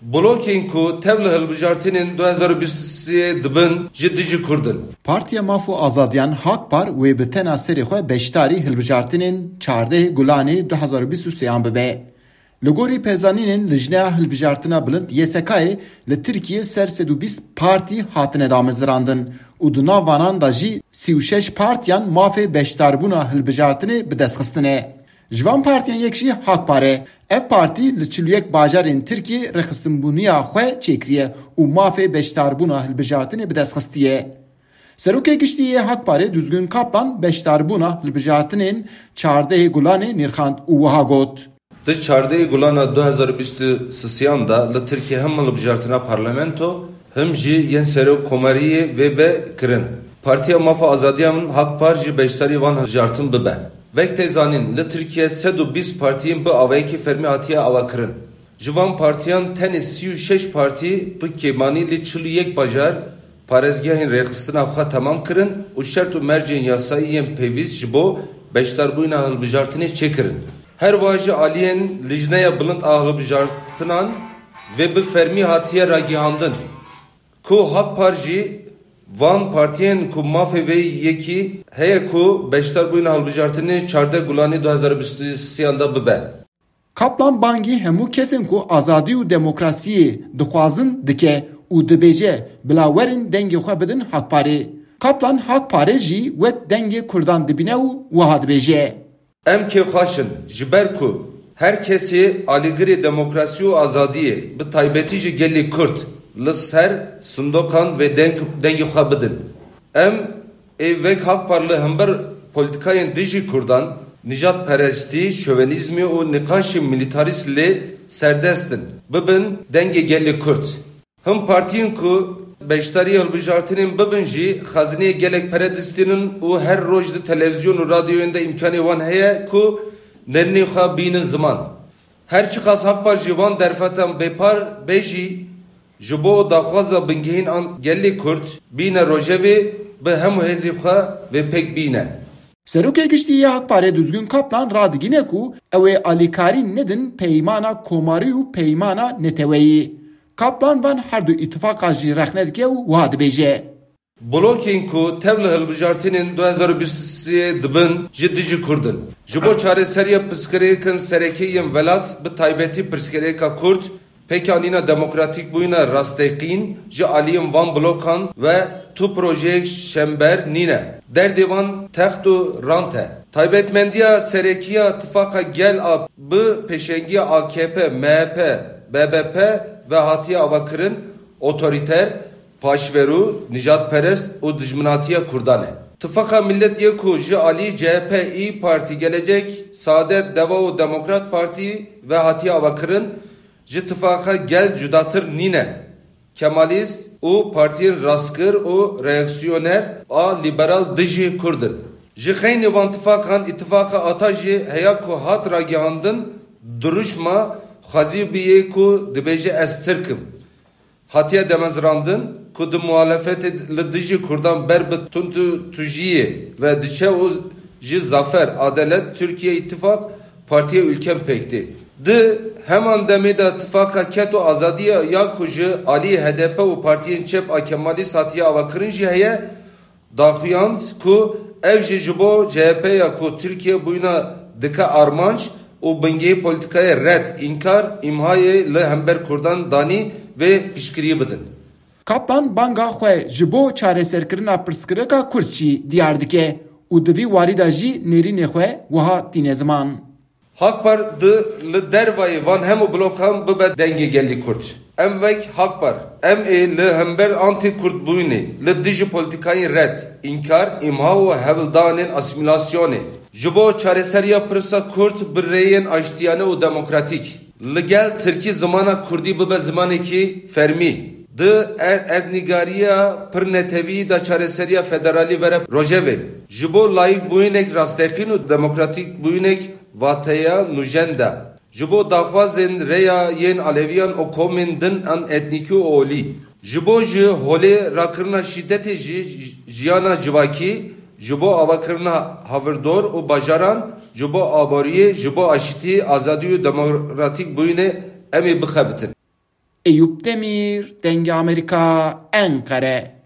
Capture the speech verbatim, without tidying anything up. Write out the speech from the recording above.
Blokên ku tev li hilbijartinên du hezar û bîst û sê dibin ji dijî Kurd in. Partiya Maf û Azadiyan HAK-PAR wê bi tena serê xwe beşdarî hilbijartinên çardehê Gulanê du hezar û bîst û sêyan bibe. Li gorî pêzanînên Lijneya Hilbijartina Bilind Y S K'ê, li Tirkiyê ser sed û bîst partî hatine damezirandin û di nav vanan de jî sî û şeş partiyan mafê beşdarbûna hilbijartinê bi dest xistine. Ji van partiyan yek jî HAK-PAR e. Ev partî li çil û yek bajarên Tirkiyê rêxistinbûniya xwe çêkiriye û mafê beşdarbûna hilbijartinê bi dest xistiye. Serokê Giştî yê HAK-PARê Duzgin Kaplan beşdarbûna hilbijartinên çardehê Gulanê nirxand û wiha got: Di çardehê Gulana du hezar û bîst û sêyan de li Tirkiyê him hilbijartina parlamento, him jî yên serokkomariyê vê be kirin. Partiya Maf û Azadiyan HAK-PAR jî beşdarî van hilbijartin bibe. Wek tê zanîn, li Tirkiyê sed û bîst partiyên bi awayekî fermî hatiye avakirin. Ji van partiyan tenê sî û şeş partî bi kêmanî li çil û yek bajar parêzgehên rêxistina xwe temam kirin û şert û mercên yasayî yên pêwîst ji bo beşdarbûna hilbijartinê çêkirin. Her wiha ji aliyên Lijneya Bilind a Hilbijartinan vê bi fermî hatiye ragihandin ku HAK-PAR jî van partiyên ku mafê vê yekî heye ku beşdarbûna hilbijartinê çardeh Gulanê du hezar û bîst û sêyan de bibe. Kaplan bangî hemû kesên ku azadî û demokrasiyê dixwazin dike û dibêje, bila werin dengê xwe bidin HAK-PARê. Kaplan HAK-PARê jî wek dengê Kurdan dibîne û wiha dibêje: Em kêfxweş in, ji ber ku her kesê alîgirê demokrasî û azadiyê, bi taybetî jî gelê Kurd, li ser sindoqan vê deng, dengê xwe bidin. Em ê wek HAK-PAR li hember polîtîkayên dijî Kurdan, nijadperestî, şovenîzmê û nîqaşên milîtarîst lê serdest in, bibin dengê gelê Kurd. Him partiyên ku beşdarî hilbijartinên bibin jî xezineyê gelek pere distînin û her roj di televîzyon û radyoyên de îmkanê wan heye ku nêrînên xwe bînin ziman. Her çiqas HAK-PAR ji van derfetan bêpar be jî, ji bo daxwaza bingehîn an gelê Kurd bîne rojevê, bi hemû hêzê xwe vê pêk bîne. Serokê Giştî yê HAK-PARê Duzgin Kaplan radigîne ku ew ê alîkarî nedin peymana komarî û peymana neteweyî. Kaplan van her du îtifaqa jî rexne dike û wiha dibêje: Blokên ku tev li hilbijartinên du hezar û bîst û sê dibin ji dijî Kurd in. Ji bo çareseriya pirsgirêkên serekî yên welat, bi taybetî pirsgirêka Kurd, pêkanîna demokratîkbûyîna rasteqîn ji aliyên van blokan ve tu projeyek şember nîne. Derdê van text û rant e. Taybetmendiya serekî ya Tifaqa Gel a bi pêşengiya A K P, M H P, B B P ve hatiye avakirin, otorîter, paşverû, nijadperest û dijminatiya Kurdan e. Tifaqa Millet yê ku ji alî C H P, İYİ Parti, Gelecek, Saadet, Deva û Demokrat Partî ve hatiye avakirin, ji Tifaqa Gel cudatir nîne. Kemalîst û partiyên rastgir û reaksiyoner a lîberal dijî Kurd in. Ji xeynî van tifaqan, îtifaqa Ata jî heya ku hat ragihandin, duruşma xwezî bûye ku dibêje, Ez Tirk im. Hatiye demezrandin ku di muhalefetê li dijî Kurdan ber bi tundtûjiyê ve diçe û ji Zafer, Adalet, Türkiye İttifak, Partiya Ülken pêk tê. Di heman demê de Tifaqa Ked û Azadiya ya ku ji alî H D P û partiyên çep a Kemalîst hatiye avakirin jî heye, daxuyand ku ev jî ji bo C H P ya ku Tirkiye bûyîna dike armanc û bingehê polîtîkayê red, înkar, îmhayê li hember Kurdan danî vê piştgiriyê bidin. Kaplan banga xwe ji bo çareserkirina pirsgirêka Kurd jî diyar dike û di vî warî de jî nêrînê xwe wiha tîne ziman. Hakpar di li dervayê van hemû blokan bibe dengê gelî Kurd. Em wek Hakpar, em ê li hember antî-Kurdbûyînê, li dijî polîtîkayên red, înkar, îmha û hewldanên asîmîlasyonê, ji bo çareseriya pirsa Kurd bi rêyên aştiyane û demokratîk, li gel tirkî zimana Kurdî bibe zimanekî fermî, di er-, erdnîgariya pir netewî de çareseriya federalî were rojevê, ji bo layîkbûyînek rasteqîn û demokratîkbûyînek wateya nûjen de, ji bo daxwazên rêya yên Aleviyan û komên din an etnîkî û olî, ji bo ji holê rakirina şîdetê jî jiyana civakî, ji bo avakirina havirdor û bajaran, ji bo aboriyê, ji bo aşitî, azadî û demokratîkbûyînê em ê bixebitin. Eyûp Demîr, Dengê Amerîka, Enqere.